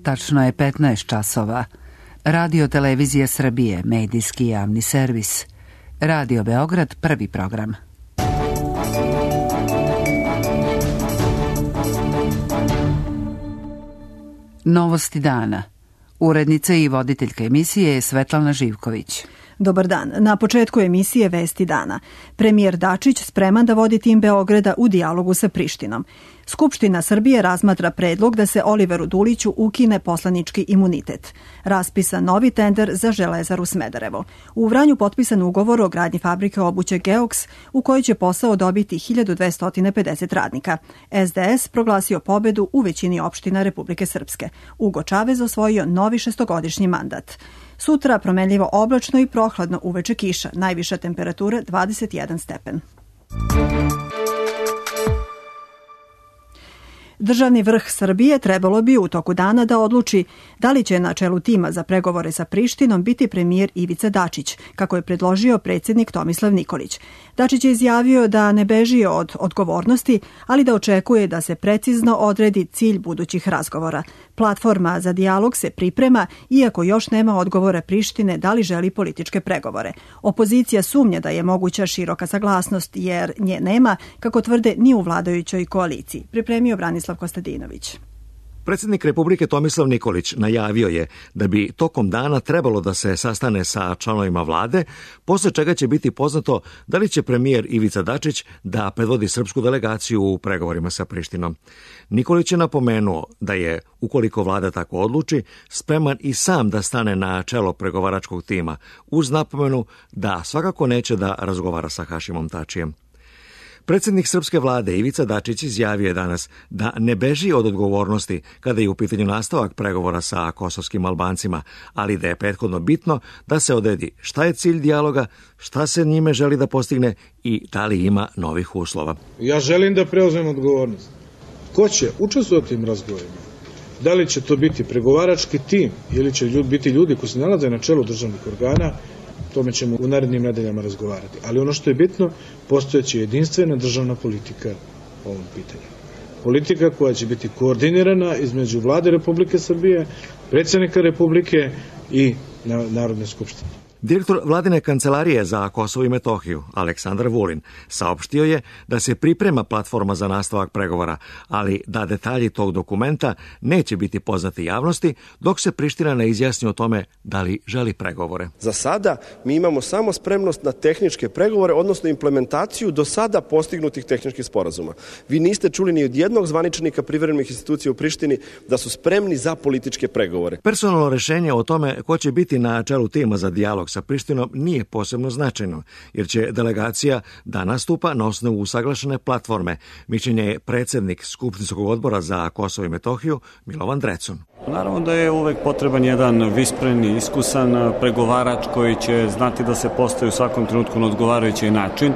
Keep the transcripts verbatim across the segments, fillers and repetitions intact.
tačno je petnaest časova. Radio Televizija Srbije, medijski javni servis. Radio Beograd, prvi program. Novosti dana. Urednica i voditeljka emisije je Svetlana Živković. Dobar dan. Na početku emisije Vesti dana. Premijer Dačić spreman da vodi tim Beograda u dijalogu sa Prištinom. Skupština Srbije razmatra predlog da se Oliveru Duliću ukine poslanički imunitet. Raspisan novi tender za Železaru Smederevo. U Vranju potpisan ugovor o gradnji fabrike obuće Geoks u kojoj će posao dobiti hiljadu dvesta pedeset radnika. S D S proglasio pobedu u većini opština Republike Srpske. Ugo Čavez osvojio novi šestogodišnji mandat. Sutra promenljivo oblačno i prohladno, uveče kiša, najviša temperatura dvadeset jedan stepen. Državni vrh Srbije trebalo bi u toku dana da odluči da li će na čelu tima za pregovore sa Prištinom biti premijer Ivica Dačić, kako je predložio predsjednik Tomislav Nikolić. Dačić je izjavio da ne beži od odgovornosti, ali da očekuje da se precizno odredi cilj budućih razgovora. Platforma za dijalog se priprema, iako još nema odgovora Prištine da li želi političke pregovore. Opozicija sumnja da je moguća široka saglasnost, jer nje nema, kako tvrde, ni u vladajućoj koaliciji. Pripremio Branislav Kostadinović. Predsjednik Republike Tomislav Nikolić najavio je da bi tokom dana trebalo da se sastane sa članovima vlade, posle čega će biti poznato da li će premijer Ivica Dačić da predvodi srpsku delegaciju u pregovorima sa Prištinom. Nikolić je napomenuo da je, ukoliko vlada tako odluči, spreman i sam da stane na čelo pregovaračkog tima, uz napomenu da svakako neće da razgovara sa Hašimom Tačijem. Predsjednik srpske vlade Ivica Dačić izjavio je danas da ne beži od odgovornosti kada je u pitanju nastavak pregovora sa kosovskim Albancima, ali da je prethodno bitno da se odredi šta je cilj dijaloga, šta se njime želi da postigne i da li ima novih uslova. Ja želim da preuzmem odgovornost. Ko će učestvovati u tim razgovorima? Da li će to biti pregovarački tim ili će ljudi, biti ljudi koji se nalaze na čelu državnih organa? Tome ćemo u narednim nedeljama razgovarati. Ali ono što je bitno, postojeće jedinstvena državna politika o ovom pitanju. Politika koja će biti koordinirana između vlade Republike Srbije, predsjednika Republike i Narodne skupštine. Direktor vladine kancelarije za Kosovo i Metohiju, Aleksandar Vulin, saopštio je da se priprema platforma za nastavak pregovora, ali da detalji tog dokumenta neće biti poznati javnosti dok se Priština ne izjasni o tome da li želi pregovore. Za sada mi imamo samo spremnost na tehničke pregovore, odnosno implementaciju do sada postignutih tehničkih sporazuma. Vi niste čuli ni od jednog zvaničnika privremenih institucija u Prištini da su spremni za političke pregovore. Personalno rešenje o tome ko će biti na čelu tima za dijalog sa Prištinom nije posebno značajno, jer će delegacija da nastupa na osnovu usaglašene platforme, mišljenje je predsjednik Skupštinskog odbora za Kosovo i Metohiju Milovan Drecun. Naravno da je uvek potreban jedan vispren i iskusan pregovarač koji će znati da se postavi u svakom trenutku na odgovarajući način,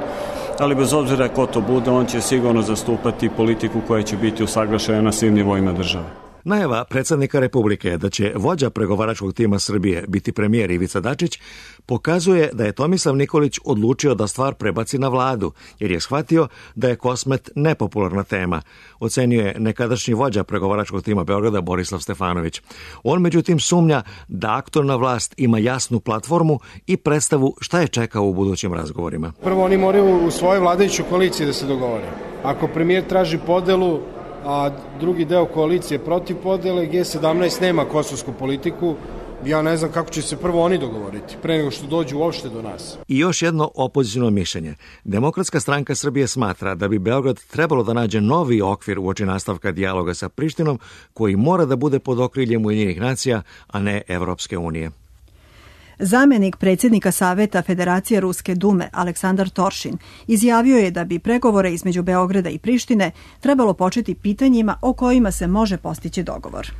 ali bez obzira ko to bude, on će sigurno zastupati politiku koja će biti usaglašena na svim nivoima države. Najava predsjednika Republike da će vođa pregovaračkog tima Srbije biti premijer Ivica Dačić pokazuje da je Tomislav Nikolić odlučio da stvar prebaci na vladu, jer je shvatio da je Kosmet nepopularna tema, ocenio je nekadašnji vođa pregovaračkog tima Beograda Borislav Stefanović. On međutim sumnja da aktualna vlast ima jasnu platformu i predstavu šta je čekao u budućim razgovorima. Prvo oni moraju u svojoj vladajućoj koaliciji da se dogovore. Ako premijer traži podelu, a drugi deo koalicije protiv podele, G sedamnaest nema kosovsku politiku, ja ne znam kako će se prvo oni dogovoriti, pre nego što dođu uopšte do nas. I još jedno opoziciono mišljenje. Demokratska stranka Srbije smatra da bi Beograd trebalo da nađe novi okvir uoči nastavka dijaloga sa Prištinom, koji mora da bude pod okriljem Ujedinjenih nacija, a ne Evropske unije. Zamenik predsjednika Saveta Federacije Ruske Dume Aleksandar Toršin izjavio je da bi pregovore između Beograda i Prištine trebalo početi pitanjima o kojima se može postići dogovor.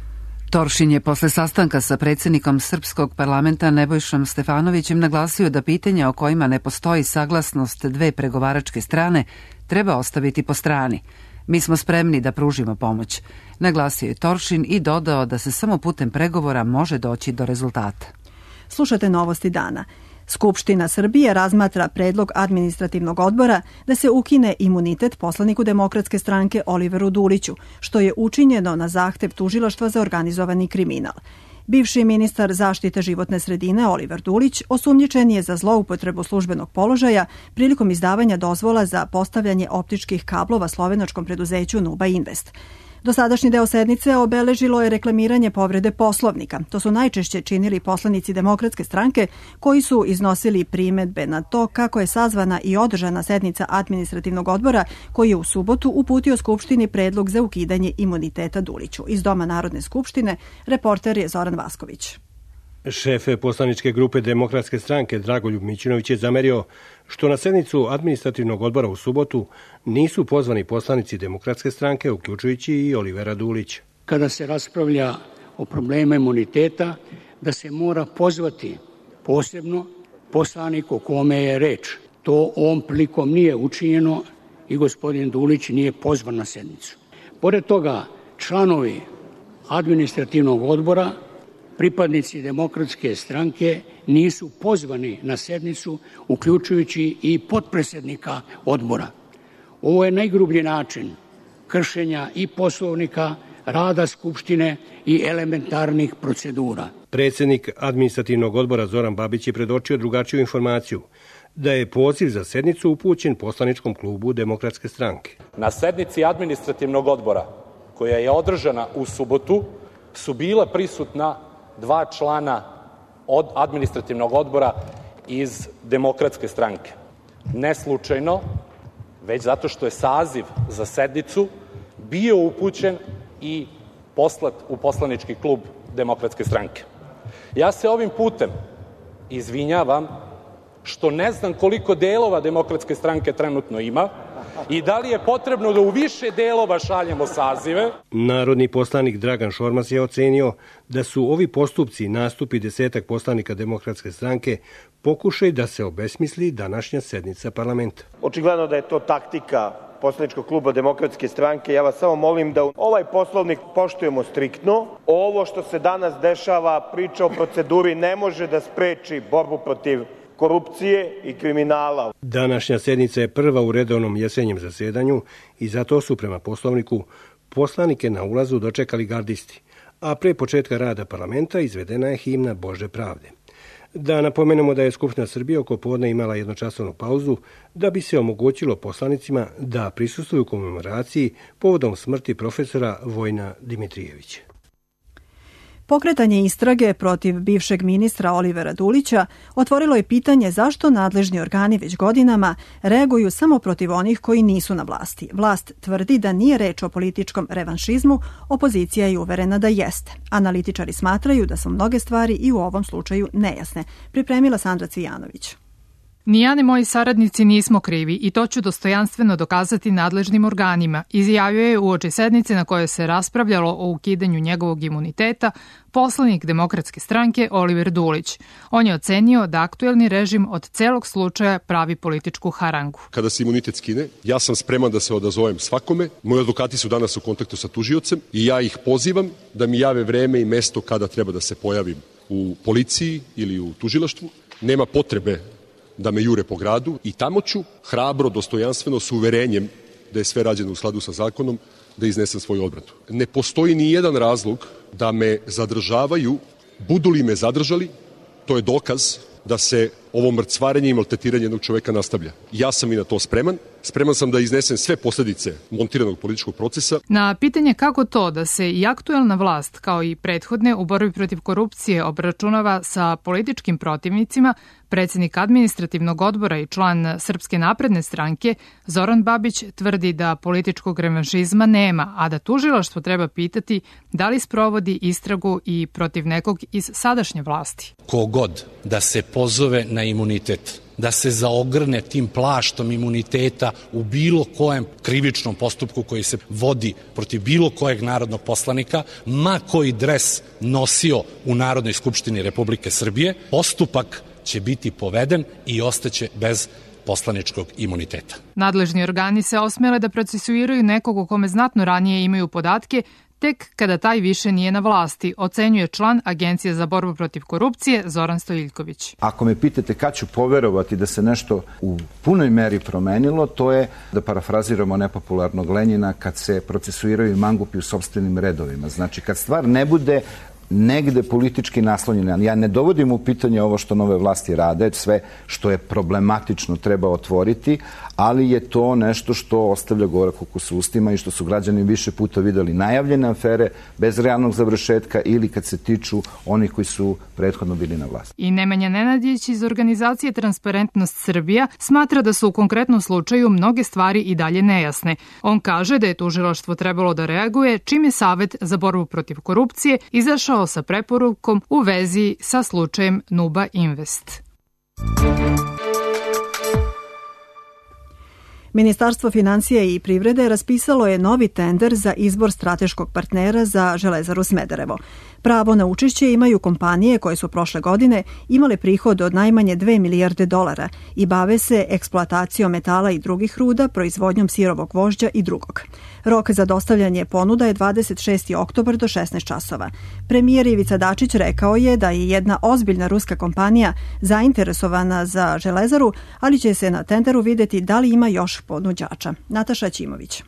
Toršin je posle sastanka sa predsjednikom Srpskog parlamenta Nebojšom Stefanovićem naglasio da pitanja o kojima ne postoji saglasnost dve pregovaračke strane treba ostaviti po strani. Mi smo spremni da pružimo pomoć, naglasio je Toršin i dodao da se samo putem pregovora može doći do rezultata. Slušate Novosti dana. Skupština Srbije razmatra predlog administrativnog odbora da se ukine imunitet poslaniku Demokratske stranke Oliveru Duliću, što je učinjeno na zahtev Tužilaštva za organizovani kriminal. Bivši ministar zaštite životne sredine Oliver Dulić osumnjičen je za zloupotrebu službenog položaja prilikom izdavanja dozvola za postavljanje optičkih kablova slovenačkom preduzeću Nuba Invest. Dosadašnji deo sednice obeležilo je reklamiranje povrede Poslovnika. To su najčešće činili poslanici Demokratske stranke koji su iznosili primedbe na to kako je sazvana i održana sednica administrativnog odbora koji je u subotu uputio Skupštini predlog za ukidanje imuniteta Duliću. Iz Doma Narodne skupštine reporter je Zoran Vasković. Šef poslaničke grupe Demokratske stranke Dragoljub Mićunović je zamerio što na sednicu administrativnog odbora u subotu nisu pozvani poslanici Demokratske stranke, uključujući i Olivera Dulića. Kada se raspravlja o problemu imuniteta, da se mora pozvati posebno poslanik o kome je reč. To ovom prilikom nije učinjeno i gospodin Dulić nije pozvan na sednicu. Pored toga, članovi administrativnog odbora, pripadnici Demokratske stranke nisu pozvani na sednicu, uključujući i potpredsednika odbora. Ovo je najgrublji način kršenja i Poslovnika, rada Skupštine i elementarnih procedura. Predsednik administrativnog odbora Zoran Babić je predočio drugačiju informaciju, da je poziv za sednicu upućen poslaničkom klubu Demokratske stranke. Na sednici administrativnog odbora, koja je održana u subotu, su bila prisutna dva člana od administrativnog odbora iz Demokratske stranke. Ne slučajno, već zato što je saziv za sednicu bio upućen i poslat u poslanički klub Demokratske stranke. Ja se ovim putem izvinjavam što ne znam koliko delova Demokratske stranke trenutno ima i da li je potrebno da u više delova šaljemo sazive. Narodni poslanik Dragan Šormaz je ocenio da su ovi postupci nastupi desetak poslanika Demokratske stranke pokušaj da se obesmisli današnja sednica parlamenta. Očigledno da je to taktika poslaničkog kluba Demokratske stranke. Ja vas samo molim da ovaj poslovnik poštujemo striktno. Ovo što se danas dešava, priča o proceduri, ne može da spreči borbu protiv korupcije i kriminala. Današnja sednica je prva u redovnom jesenjem zasedanju i zato su prema poslovniku poslanike na ulazu dočekali gardisti, a pre početka rada parlamenta izvedena je himna Bože pravde. Da napomenemo da je Skupština Srbije oko podne imala jednočasovnu pauzu da bi se omogućilo poslanicima da prisustvuju komemoraciji povodom smrti profesora Vojina Dimitrijevića. Pokretanje istrage protiv bivšeg ministra Olivera Dulića otvorilo je pitanje zašto nadležni organi već godinama reaguju samo protiv onih koji nisu na vlasti. Vlast tvrdi da nije reč o političkom revanšizmu, opozicija je uverena da jeste. Analitičari smatraju da su mnoge stvari i u ovom slučaju nejasne. Pripremila Sandra Cvijanović. Ni ja ni moji saradnici nismo krivi i to ću dostojanstveno dokazati nadležnim organima, izjavio je uoči sednice na kojoj se raspravljalo o ukidanju njegovog imuniteta poslanik Demokratske stranke Oliver Dulić. On je ocenio da aktuelni režim od celog slučaja pravi političku harangu. Kada se imunitet skine, ja sam spreman da se odazovem svakome. Moji advokati su danas u kontaktu sa tužiocem i ja ih pozivam da mi jave vreme i mesto kada treba da se pojavim u policiji ili u tužilaštvu. Nema potrebe da me jure po gradu i tamo ću hrabro, dostojanstveno, s uverenjem da je sve rađeno u skladu sa zakonom, da iznesem svoju odbranu. Ne postoji ni jedan razlog da me zadržavaju, budu li me zadržali, to je dokaz da se ovo mrcvarenje i maltretiranje jednog čoveka nastavlja. Ja sam i na to spreman. Spreman sam da iznesem sve posledice montiranog političkog procesa. Na pitanje kako to da se i aktuelna vlast, kao i prethodne u borbi protiv korupcije, obračunava sa političkim protivnicima, predsednik administrativnog odbora i član Srpske napredne stranke Zoran Babić tvrdi da političkog revanšizma nema, a da tužilaštvo treba pitati da li sprovodi istragu i protiv nekog iz sadašnje vlasti. Kogod da se pozove na imunitet, da se zaogrne tim plaštom imuniteta u bilo kojem krivičnom postupku koji se vodi protiv bilo kojeg narodnog poslanika, ma koji dres nosio u Narodnoj skupštini Republike Srbije, postupak će biti poveden i ostaće bez poslaničkog imuniteta. Nadležni organi se osmele da procesuiraju nekog o kome znatno ranije imaju podatke, tek kada taj više nije na vlasti, ocenjuje član Agencije za borbu protiv korupcije Zoran Stojiljković. Ako me pitate kad ću poverovati da se nešto u punoj meri promenilo, to je, da parafraziramo nepopularnog Lenjina, kad se procesuiraju mangupi u sopstvenim redovima. Znači, kad stvar ne bude negde politički naslonjena. Ja ne dovodim u pitanje ovo što nove vlasti rade, sve što je problematično treba otvoriti, ali je to nešto što ostavlja gorak ukus u ustima i što su građani više puta videli najavljene afere bez realnog završetka ili kad se tiču onih koji su prethodno bili na vlasti. I Nemanja Nenadić iz organizacije Transparentnost Srbija smatra da su u konkretnom slučaju mnoge stvari i dalje nejasne. On kaže da je tužilaštvo trebalo da reaguje čim je Savet za borbu protiv korupcije izašao sa preporukom u vezi sa slučajem Nuba Invest. Ministarstvo finansija i privrede raspisalo je novi tender za izbor strateškog partnera za Železaru Smederevo. Pravo na učešće imaju kompanije koje su prošle godine imale prihod od najmanje dve milijarde dolara i bave se eksploatacijom metala i drugih ruda, proizvodnjom sirovog vožđa i drugog. Rok za dostavljanje ponuda je dvadeset šesti oktobar do šesnaest časova. Premijer Ivica Dačić rekao je da je jedna ozbiljna ruska kompanija zainteresovana za Železaru, ali će se na tenderu videti da li ima još ponuđača. Nataša Ćimović.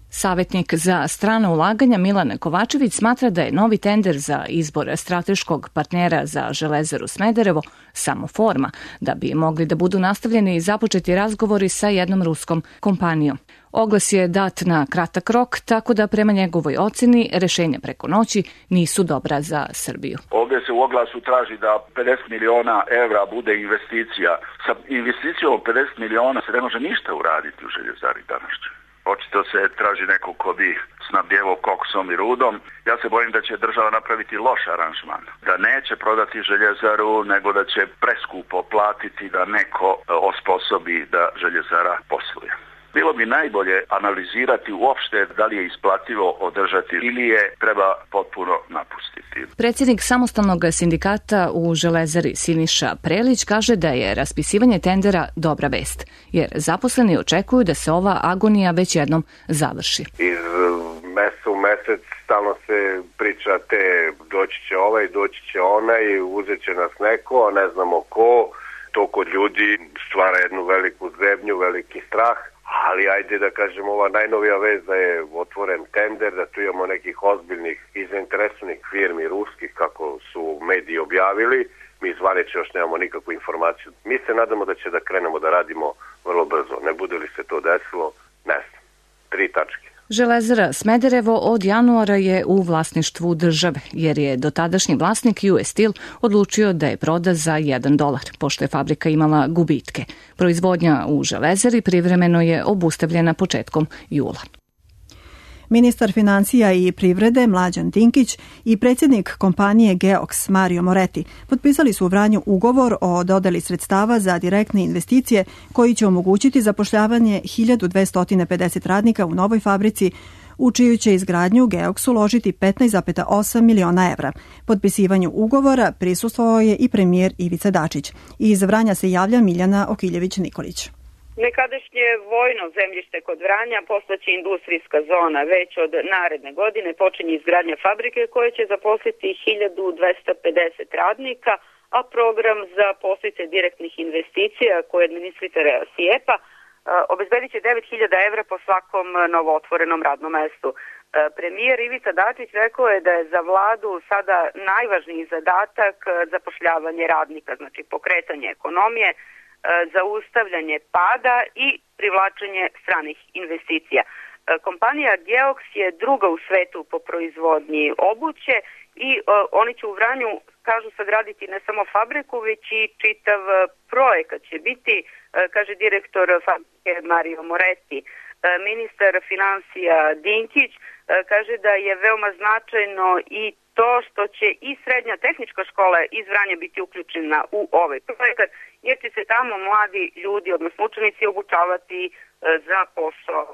Savetnik za strana ulaganja Milan Kovačević smatra da je novi tender za izbor strateškog partnera za Železaru Smederevo samo forma, da bi mogli da budu nastavljeni i započeti razgovori sa jednom ruskom kompanijom. Oglas je dat na kratak rok, tako da prema njegovoj oceni rešenja preko noći nisu dobra za Srbiju. Ovdje se u oglasu traži da pedeset miliona evra bude investicija. Sa investicijom od pedeset miliona se ne može ništa uraditi u Željezari današnje. Očito se traži neko ko bi snabdjevo koksom i rudom. Ja se bojim da će država napraviti loš aranžman. Da neće prodati Željezaru, nego da će preskupo platiti da neko osposobi da Željezara posluje. Bilo bi najbolje analizirati uopšte da li je isplativo održati ili je treba potpuno napustiti. Predsjednik samostalnog sindikata u Železari Siniša Prelić kaže da je raspisivanje tendera dobra vest, jer zaposleni očekuju da se ova agonija već jednom završi. Iz meseca u mesec stalno se priča te doći će ovaj, doći će onaj, uzet će nas neko, ne znamo ko. To kod ljudi stvara jednu veliku zebnju, veliki strah. Ali ajde da kažemo, ova najnovija vez da je otvoren tender, da tu imamo nekih ozbiljnih i zainteresovanih firmi ruskih, kako su mediji objavili. Mi zvanično još nemamo nikakvu informaciju. Mi se nadamo da će da krenemo da radimo vrlo brzo. Ne bude li se to desilo, ne znam. Tri tačke. Železara Smederevo od januara je u vlasništvu države, jer je dotadašnji vlasnik U S Steel odlučio da je proda za jedan dolar, pošto je fabrika imala gubitke. Proizvodnja u Železari privremeno je obustavljena početkom jula. Ministar financija i privrede Mlađan Dinkić i predsjednik kompanije Geoks Mario Moretti potpisali su u Vranju ugovor o dodeli sredstava za direktne investicije koji će omogućiti zapošljavanje hiljadu dvesta pedeset radnika u novoj fabrici u čiju će izgradnju Geoks uložiti petnaest zarez osam miliona evra. Potpisivanju ugovora prisustvovao je i premijer Ivica Dačić. Iz Vranja se javlja Miljana Okiljević-Nikolić. Nekadašnje vojno zemljište kod Vranja postaće industrijska zona. Već od naredne godine počinje izgradnja fabrike koja će zaposliti hiljadu dvesta pedeset radnika, a program za podsticaj direktnih investicija koje administritore SIEPA obezbedit će devet hiljada evra po svakom novootvorenom radnom mestu. Premijer Ivica Dačić rekao je da je za vladu sada najvažniji zadatak zapošljavanje radnika, znači pokretanje ekonomije, zaustavljanje pada i privlačenje stranih investicija. Kompanija Geoks je druga u svetu po proizvodnji obuće i oni će u Vranju, kažu, sagraditi ne samo fabriku, već i čitav projekat će biti, kaže direktor fabrike Mario Moretti. Ministar financija Dinkić kaže da je veoma značajno i to što će i srednja tehnička škola iz Vranja biti uključena u ovaj projekat, jer će se tamo mladi ljudi, odnosno učenici, obučavati za posao.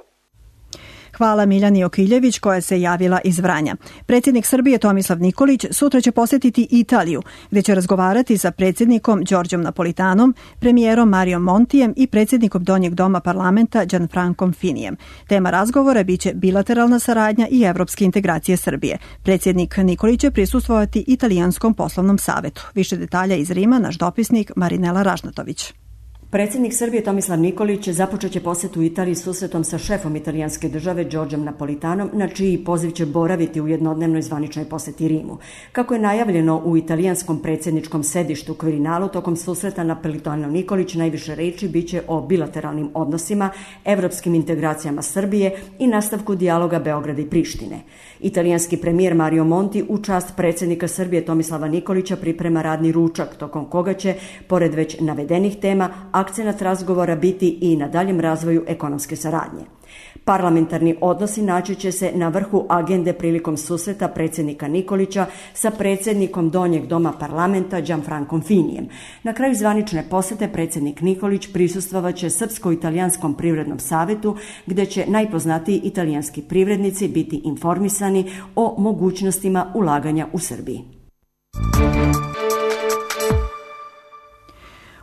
Hvala Miljani Okiljević koja se javila iz Vranja. Predsjednik Srbije Tomislav Nikolić sutra će posjetiti Italiju, gdje će razgovarati sa predsjednikom Đorđom Napolitanom, premijerom Marijom Montijem i predsjednikom Donjeg doma parlamenta Gianfrancom Finijem. Tema razgovora biće bilateralna saradnja i evropske integracije Srbije. Predsjednik Nikolić će prisustvovati Italijanskom poslovnom savetu. Više detalja iz Rima naš dopisnik Marinela Ražnatović. Predsjednik Srbije Tomislav Nikolić započet će posjetu Italiji susretom sa šefom italijanske države Đorđem Napolitanom, na čiji poziv će boraviti u jednodnevnoj zvaničnoj posjeti Rimu. Kako je najavljeno u italijanskom predsjedničkom sedištu Quirinalu, tokom susreta Napolitanov Nikolić najviše reči biće o bilateralnim odnosima, evropskim integracijama Srbije i nastavku dijaloga Beograda i Prištine. Italijanski premijer Mario Monti u čast predsjednika Srbije Tomislava Nikolića priprema radni ručak, tokom koga će, pored već navedenih tema, akcenat razgovora biti i na daljem razvoju ekonomske saradnje. Parlamentarni odnosi naći će se na vrhu agende prilikom susreta predsjednika Nikolića sa predsjednikom Donjeg doma parlamenta Gianfrancom Finijem. Na kraju zvanične posjete predsjednik Nikolić prisustvovat će Srpsko-italijanskom privrednom savetu, gdje će najpoznatiji italijanski privrednici biti informisani o mogućnostima ulaganja u Srbiji.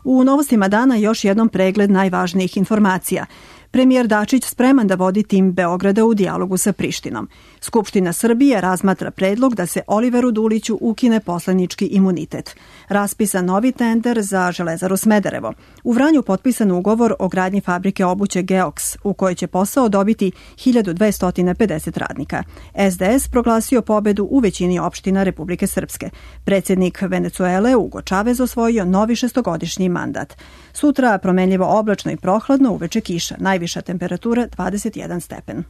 U novostima dana još jednom pregled najvažnijih informacija. Premijer Dačić spreman da vodi tim Beograda u dijalogu sa Prištinom. Skupština Srbije razmatra predlog da se Oliveru Duliću ukine poslanički imunitet. Raspisan novi tender za Železaru Smederevo. U Vranju potpisan ugovor o gradnji fabrike obuće Geoks, u kojoj će posao dobiti hiljadu dvesta pedeset radnika. S D S proglasio pobedu u većini opština Republike Srpske. Predsjednik Venecuele Hugo Chavez osvojio novi šestogodišnji mandat. Sutra promenljivo oblačno i prohladno, uveče kiša. Najviša temperatura dvadeset jedan stepen.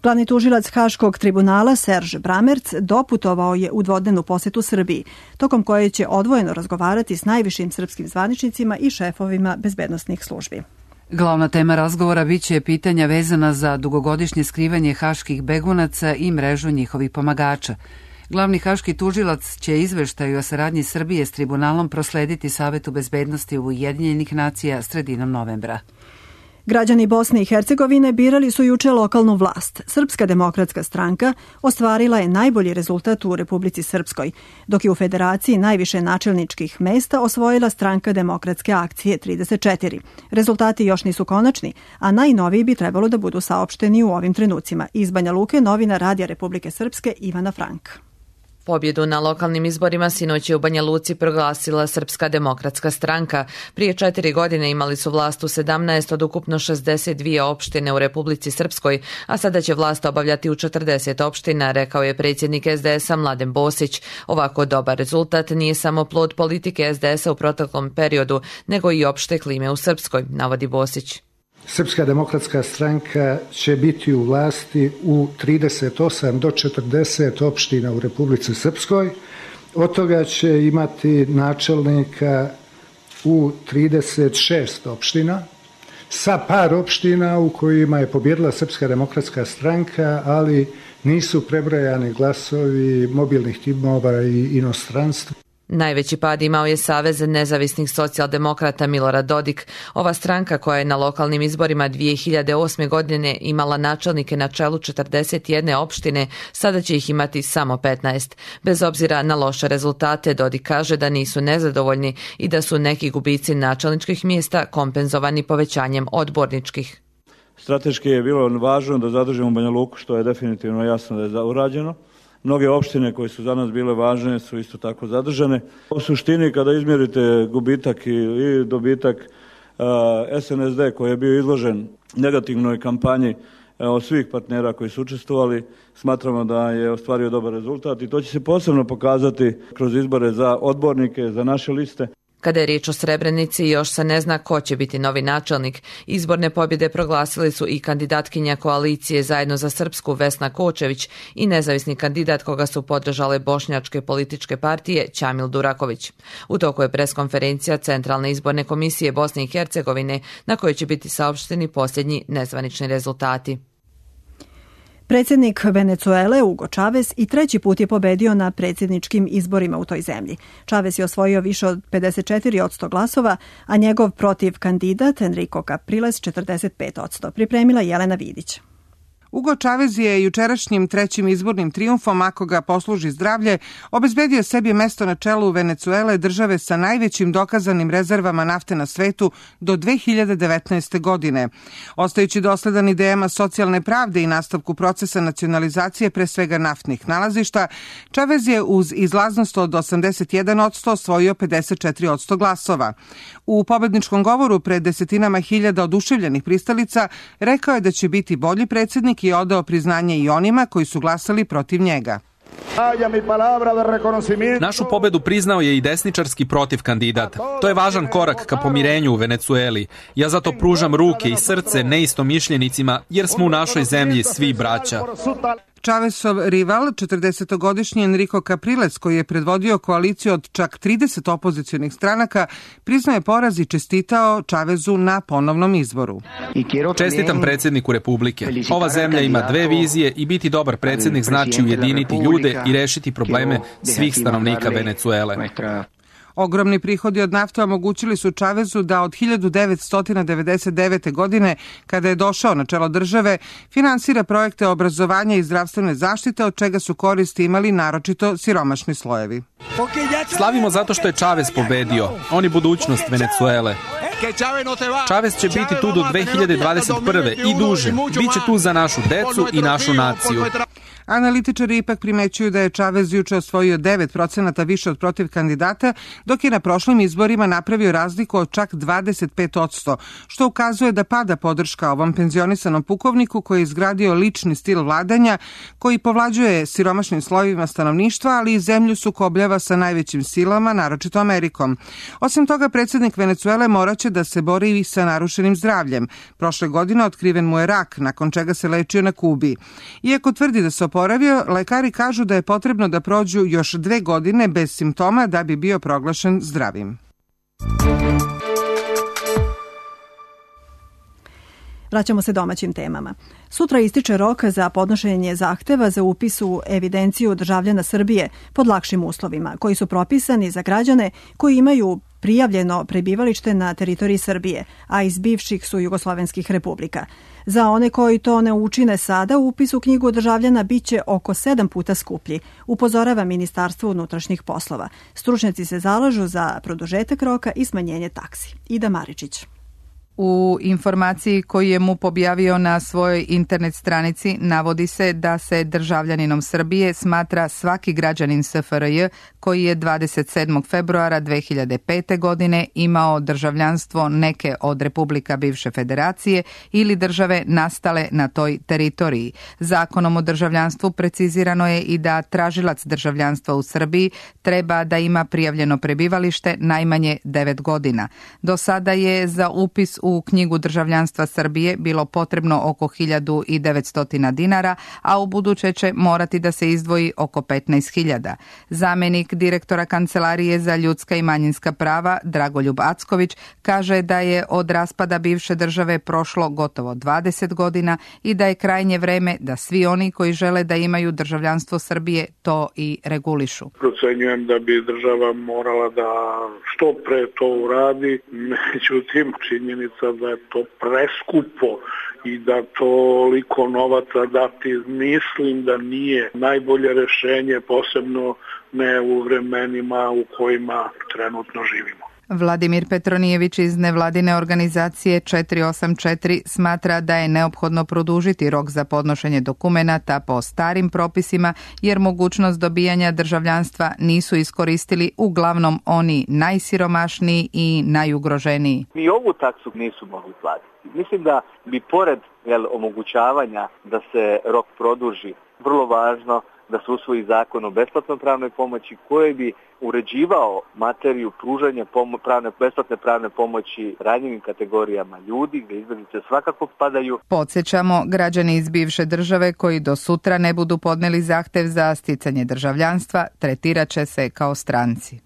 Glavni tužilac Haškog tribunala Serž Bramerc doputovao je u dvodnevnu posjetu Srbiji, tokom koje će odvojeno razgovarati s najvišim srpskim zvaničnicima i šefovima bezbednosnih službi. Glavna tema razgovora biće pitanja vezana za dugogodišnje skrivanje haških begunaca i mrežu njihovih pomagača. Glavni haški tužilac će izveštaju o saradnji Srbije s tribunalom proslediti Savetu bezbednosti Ujedinjenih nacija sredinom novembra. Građani Bosne i Hercegovine birali su juče lokalnu vlast. Srpska demokratska stranka ostvarila je najbolji rezultat u Republici Srpskoj, dok je u Federaciji najviše načelničkih mesta osvojila stranka Demokratske akcije trideset četiri. Rezultati još nisu konačni, a najnoviji bi trebalo da budu saopšteni u ovim trenucima. Iz Banja Luke novinar Radija Republike Srpske Ivana Frank. Pobjedu na lokalnim izborima sinoć je u Banja Luci proglasila Srpska demokratska stranka. Prije četiri godine imali su vlast u sedamnaest od ukupno šezdeset dvije opštine u Republici Srpskoj, a sada će vlast obavljati u četrdeset opština, rekao je predsjednik S D S-a Mladen Bosić. Ovako dobar rezultat nije samo plod politike S D S-a u proteklom periodu, nego i opšte klime u Srpskoj, navodi Bosić. Srpska demokratska stranka će biti u vlasti u trideset osam do četrdeset opština u Republici Srpskoj. Od toga će imati načelnika u trideset šest opština, sa par opština u kojima je pobjedila Srpska demokratska stranka, ali nisu prebrojani glasovi mobilnih timova i inostranstva. Najveći pad imao je Savez nezavisnih socijaldemokrata Milorad Dodik. Ova stranka koja je na lokalnim izborima dvije hiljade osme. godine imala načelnike na čelu četrdeset jedne opštine, sada će ih imati samo petnaest. Bez obzira na loše rezultate, Dodik kaže da nisu nezadovoljni i da su neki gubici načelničkih mjesta kompenzovani povećanjem odborničkih. Strateški je bilo važno da zadržimo Banja Luku, što je definitivno jasno da je urađeno. Mnoge opštine koje su za nas bile važne su isto tako zadržane. U suštini kada izmjerite gubitak i dobitak S N S D koji je bio izložen negativnoj kampanji od svih partnera koji su učestvovali, smatramo da je ostvario dobar rezultat i to će se posebno pokazati kroz izbore za odbornike, za naše liste. Kada je riječ o Srebrenici, još se ne zna ko će biti novi načelnik. Izborne pobjede proglasili su i kandidatkinja koalicije Zajedno za Srpsku Vesna Kočević i nezavisni kandidat koga su podržale bošnjačke političke partije Ćamil Duraković. U toku je preskonferencija Centralne izborne komisije Bosne i Hercegovine na kojoj će biti saopšteni posljednji nezvanični rezultati. Predsjednik Venecuele Hugo Chávez i treći put je pobedio na predsjedničkim izborima u toj zemlji. Chávez je osvojio više od pedeset četiri posto glasova, a njegov protiv kandidat Enrico Capriles četrdeset pet posto. Pripremila Jelena Vidić. Hugo Chávez je jučerašnjim trećim izbornim trijumfom, ako ga posluži zdravlje, obezbedio sebi mesto na čelu Venecuele, države sa najvećim dokazanim rezervama nafte na svetu do dve hiljade devetnaeste. godine. Ostajući dosledan idejama socijalne pravde i nastavku procesa nacionalizacije pre svega naftnih nalazišta, Chávez je uz izlaznost od osamdeset jedan posto osvojio pedeset četiri posto glasova. U pobedničkom govoru pred desetinama hiljada oduševljenih pristalica rekao je da će biti bolji predsjednik i odao priznanje i onima koji su glasali protiv njega. Našu pobedu priznao je i desničarski protiv kandidat. To je važan korak ka pomirenju u Venecueli. Ja zato pružam ruke i srce neistomišljenicima jer smo u našoj zemlji svi braća. Chávezov rival, četrdesetogodišnji Enrico Capriles, koji je predvodio koaliciju od čak trideset opozicionih stranaka, priznao je poraz i čestitao Chávezu na ponovnom izboru. Čestitam predsjedniku Republike. Ova zemlja ima dve vizije i biti dobar predsjednik znači ujediniti ljude i rešiti probleme svih stanovnika Venecuele. Ogromni prihodi od nafte omogućili su Chávezu da od hiljadu devetsto devedeset devete. godine, kada je došao na čelo države, finansira projekte obrazovanja i zdravstvene zaštite, od čega su koristi imali naročito siromašni slojevi. Slavimo zato što je Chávez pobedio. On je budućnost Venecuele. Chávez će biti tu do dve hiljade dvadeset prve. i duže. Biće tu za našu decu i našu naciju. Analitičari ipak primećuju da je Chávez juče osvojio devet procenata više od protiv kandidata, dok je na prošlim izborima napravio razliku od čak dvadeset pet posto, što ukazuje da pada podrška ovom penzionisanom pukovniku koji je izgradio lični stil vladanja, koji povlađuje siromašnim slojevima stanovništva, ali i zemlju sukobljava sa najvećim silama, naročito Amerikom. Osim toga, predsjednik Venecuele moraće da se bori i sa narušenim zdravljem. Prošle godine otkriven mu je rak, nakon čega se lečio na Kubi. Iako tvrdi da se oporavio, lekari kažu da je potrebno da prođu još dve godine bez simptoma da bi bio proglašen zdravim. Vraćamo se domaćim temama. Sutra ističe rok za podnošenje zahteva za upis u evidenciju državljana Srbije pod lakšim uslovima, koji su propisani za građane koji imaju prijavljeno prebivalište na teritoriji Srbije, a iz bivših su jugoslovenskih republika. Za one koji to ne učine sada, upis u knjigu državljana biće oko sedam puta skuplji, upozorava Ministarstvo unutrašnjih poslova. Stručnjaci se zalažu za produžetak roka i smanjenje taksi. Ida Maričić. U informaciji koju je M U P objavio na svojoj internet stranici navodi se da se državljaninom Srbije smatra svaki građanin S F R J koji je dvadeset sedmog februara dve hiljade pete. godine imao državljanstvo neke od republika bivše federacije ili države nastale na toj teritoriji. Zakonom o državljanstvu precizirano je i da tražilac državljanstva u Srbiji treba da ima prijavljeno prebivalište najmanje devet godina. Do sada je za upis u knjigu državljanstva Srbije bilo potrebno oko hiljadu devetsto dinara, a u buduće će morati da se izdvoji oko petnaest hiljada. Zamenik direktora Kancelarije za ljudska i manjinska prava Dragoljub Acković kaže da je od raspada bivše države prošlo gotovo dvadeset godina i da je krajnje vreme da svi oni koji žele da imaju državljanstvo Srbije to i regulišu. Procenjujem da bi država morala da što pre to uradi, međutim činjenica da je to preskupo i da toliko novaca dati mislim da nije najbolje rešenje, posebno ne u vremenima u kojima trenutno živimo. Vladimir Petronijević iz nevladine organizacije četiri osam četiri smatra da je neophodno produžiti rok za podnošenje dokumenata po starim propisima jer mogućnost dobijanja državljanstva nisu iskoristili uglavnom oni najsiromašniji i najugroženiji. Ni ovu taksu nisu mogli platiti. Mislim da bi pored jel, omogućavanja da se rok produži, vrlo važno da se usvoji zakon o besplatnoj pravnoj pomoći koji bi uređivao materiju pružanja pomo- pravne, besplatne pravne pomoći ranjivim kategorijama ljudi, gdje izbjeglice svakako padaju. Podsjećamo, građani iz bivše države koji do sutra ne budu podneli zahtev za sticanje državljanstva, tretirat će se kao stranci.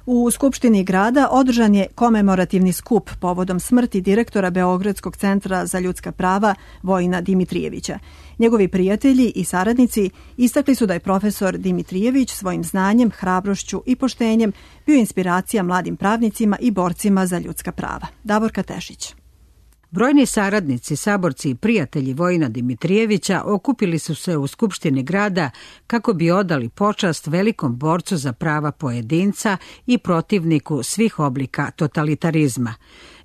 U Skupštini grada održan je komemorativni skup povodom smrti direktora Beogradskog centra za ljudska prava Vojina Dimitrijevića. Njegovi prijatelji i saradnici istakli su da je profesor Dimitrijević svojim znanjem, hrabrošću i poštenjem bio inspiracija mladim pravnicima i borcima za ljudska prava. Davorka Tešić. Brojni saradnici, saborci i prijatelji Vojina Dimitrijevića okupili su se u Skupštini grada kako bi odali počast velikom borcu za prava pojedinca i protivniku svih oblika totalitarizma.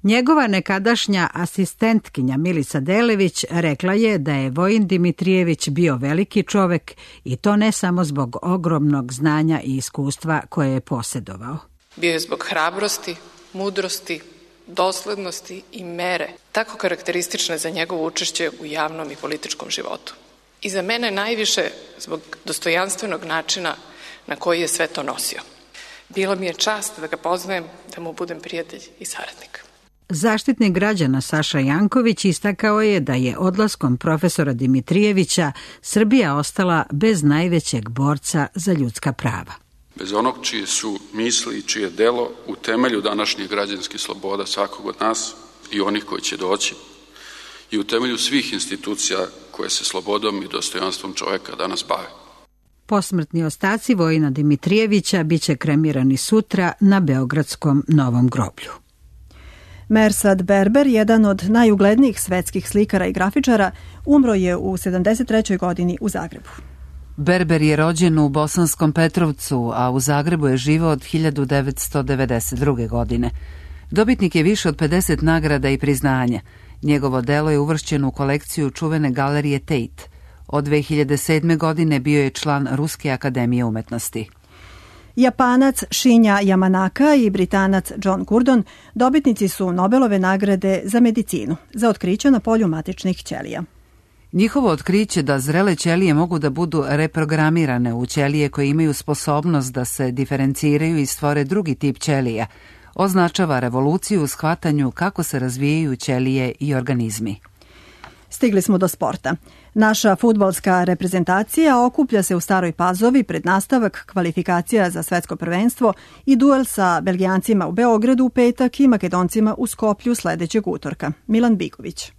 Njegova nekadašnja asistentkinja Milica Delević rekla je da je Vojin Dimitrijević bio veliki čovek i to ne samo zbog ogromnog znanja i iskustva koje je posjedovao. Bio je zbog hrabrosti, mudrosti, doslednosti i mere, tako karakteristične za njegovo učešće u javnom i političkom životu. I za mene najviše zbog dostojanstvenog načina na koji je sve to nosio. Bila mi je čast da ga poznajem, da mu budem prijatelj i saradnik. Zaštitnik građana Saša Janković istakao je da je odlaskom profesora Dimitrijevića Srbija ostala bez najvećeg borca za ljudska prava. Bez onog čije su misli i čije delo u temelju današnjih građanskih sloboda svakog od nas i onih koji će doći i u temelju svih institucija koje se slobodom i dostojanstvom čoveka danas bave. Posmrtni ostaci Vojina Dimitrijevića biće kremirani sutra na Beogradskom Novom groblju. Mersad Berber, jedan od najuglednijih svetskih slikara i grafičara, umro je u sedamdeset trećoj godini u Zagrebu. Berber je rođen u Bosanskom Petrovcu, a u Zagrebu je živeo od hiljadu devetsto devedeset druge. godine. Dobitnik je više od pedeset nagrada i priznanja. Njegovo delo je uvršćeno u kolekciju čuvene galerije Tate. Od dve hiljade sedme. godine bio je član Ruske akademije umetnosti. Japanac Shinya Yamanaka i Britanac John Gurdon dobitnici su Nobelove nagrade za medicinu za otkriće na polju matičnih ćelija. Njihovo otkriće da zrele ćelije mogu da budu reprogramirane u ćelije koje imaju sposobnost da se diferenciraju i stvore drugi tip ćelija, označava revoluciju u shvatanju kako se razvijaju ćelije i organizmi. Stigli smo do sporta. Naša fudbalska reprezentacija okuplja se u Staroj Pazovi pred nastavak kvalifikacija za svetsko prvenstvo i duel sa Belgijancima u Beogradu u petak i Makedoncima u Skoplju sledećeg utorka. Milan Biković.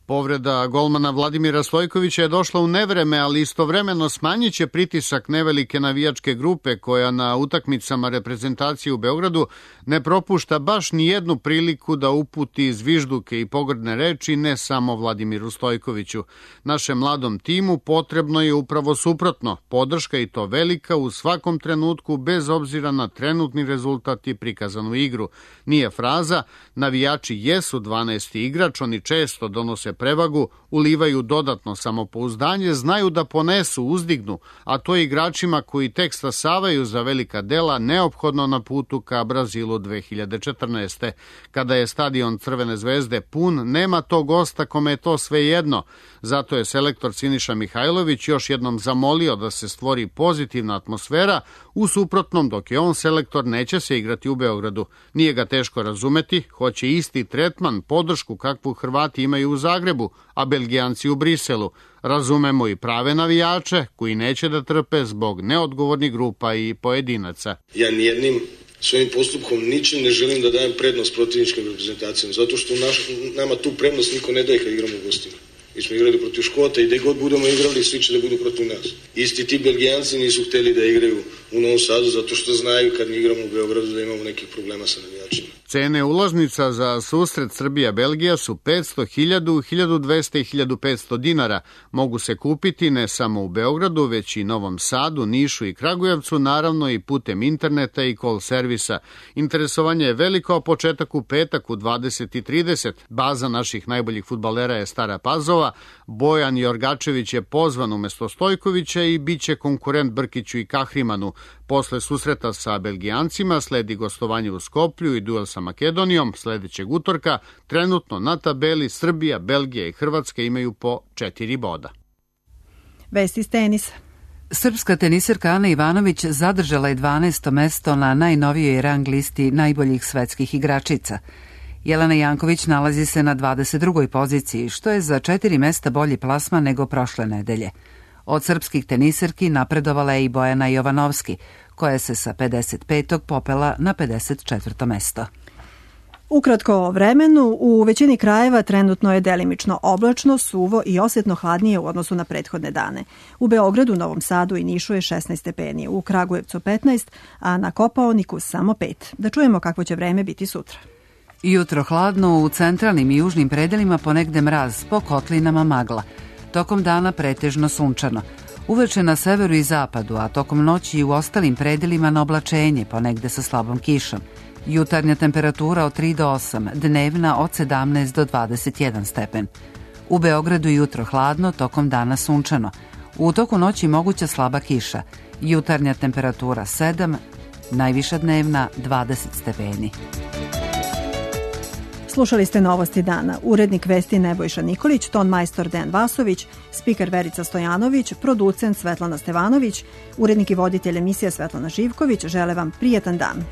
Povreda golmana Vladimira Stojkovića je došla u nevreme, ali istovremeno smanjit će pritisak nevelike navijačke grupe koja na utakmicama reprezentacije u Beogradu ne propušta baš ni jednu priliku da uputi zvižduke i pogrdne reči ne samo Vladimiru Stojkoviću. Našem mladom timu potrebno je upravo suprotno, podrška i to velika u svakom trenutku bez obzira na trenutni rezultat i prikazanu igru. Nije fraza, navijači jesu dvanaesti igrač, oni često donose prevagu, ulivaju dodatno samopouzdanje, znaju da ponesu, uzdignu, a to igračima koji tek stasavaju za velika dela neophodno na putu ka Brazilu dve hiljade četrnaeste. Kada je stadion Crvene zvezde pun, nema tog gosta kome je to svejedno. Zato je selektor Siniša Mihajlović još jednom zamolio da se stvori pozitivna atmosfera, u suprotnom dok je on selektor neće se igrati u Beogradu. Nije ga teško razumeti, hoće isti tretman, podršku kakvu Hrvati imaju u Zagrebu, a Belgijanci u Briselu. Razumemo i prave navijače koji neće da trpe zbog neodgovornih grupa i pojedinaca. Ja nijednim svojim postupkom ničim ne želim da dajem prednost protivničkim reprezentacijama, zato što naš, nama tu prednost niko ne daje kad igramo u gostima. Mi smo igrali protiv Škota i gde god budemo igrali, svi će da budu protiv nas. Isti ti Belgijanci nisu hteli da igraju u Novom Sadu zato što znaju kad mi igramo u Beogradu da imamo nekih problema sa navijačima. Cene ulaznica za susret Srbija-Belgija su petsto, hiljadu, hiljadu dvesta i hiljadu petsto dinara. Mogu se kupiti ne samo u Beogradu, već i Novom Sadu, Nišu i Kragujevcu, naravno i putem interneta i call servisa. Interesovanje je veliko, a početak u petak u dvadeset i trideset. Baza naših najboljih fudbalera je Stara Pazova. Bojan Jorgačević je pozvan umesto Stojkovića i bit će konkurent Brkiću i Kahrimanu. Posle susreta sa Belgijancima sledi gostovanje u Skoplju i duel sa Makedonijom sledećeg utorka. Trenutno na tabeli Srbija, Belgija i Hrvatska imaju po četiri boda. Vesti iz tenisa. Srpska teniserka Ana Ivanović zadržala je dvanaesto mesto na najnovijoj rang listi najboljih svetskih igračica. Jelena Janković nalazi se na dvadeset drugoj poziciji, što je za četiri mesta bolji plasman nego prošle nedelje. Od srpskih teniserki napredovala je i Bojana Jovanovski, koja se sa pedeset petog popela na pedeset četvrto mesto. Ukratko o vremenu, u većini krajeva trenutno je delimično oblačno, suvo i osjetno hladnije u odnosu na prethodne dane. U Beogradu, Novom Sadu i Nišu je šesnaest stepeni, u Kragujevcu petnaest, a na Kopaoniku samo pet. Da čujemo kakvo će vreme biti sutra. Jutro hladno, u centralnim i južnim predelima ponegde mraz, po kotlinama magla. Tokom dana pretežno sunčano. Uveče na severu i zapadu, a tokom noći i u ostalim predelima na oblačenje, ponegde sa slabom kišom. Jutarnja temperatura od tri do osam, dnevna od sedamnaest do dvadeset jedan stepen. U Beogradu jutro hladno, tokom dana sunčano. U toku noći moguća slaba kiša. Jutarnja temperatura sedam, najviša dnevna dvadeset stepeni. Slušali ste Novosti dana. Urednik vesti Nebojša Nikolić, ton majstor Dejan Vasović, spiker Verica Stojanović, producent Svetlana Stevanović, urednik i voditelj emisija Svetlana Živković. Žele vam prijetan dan.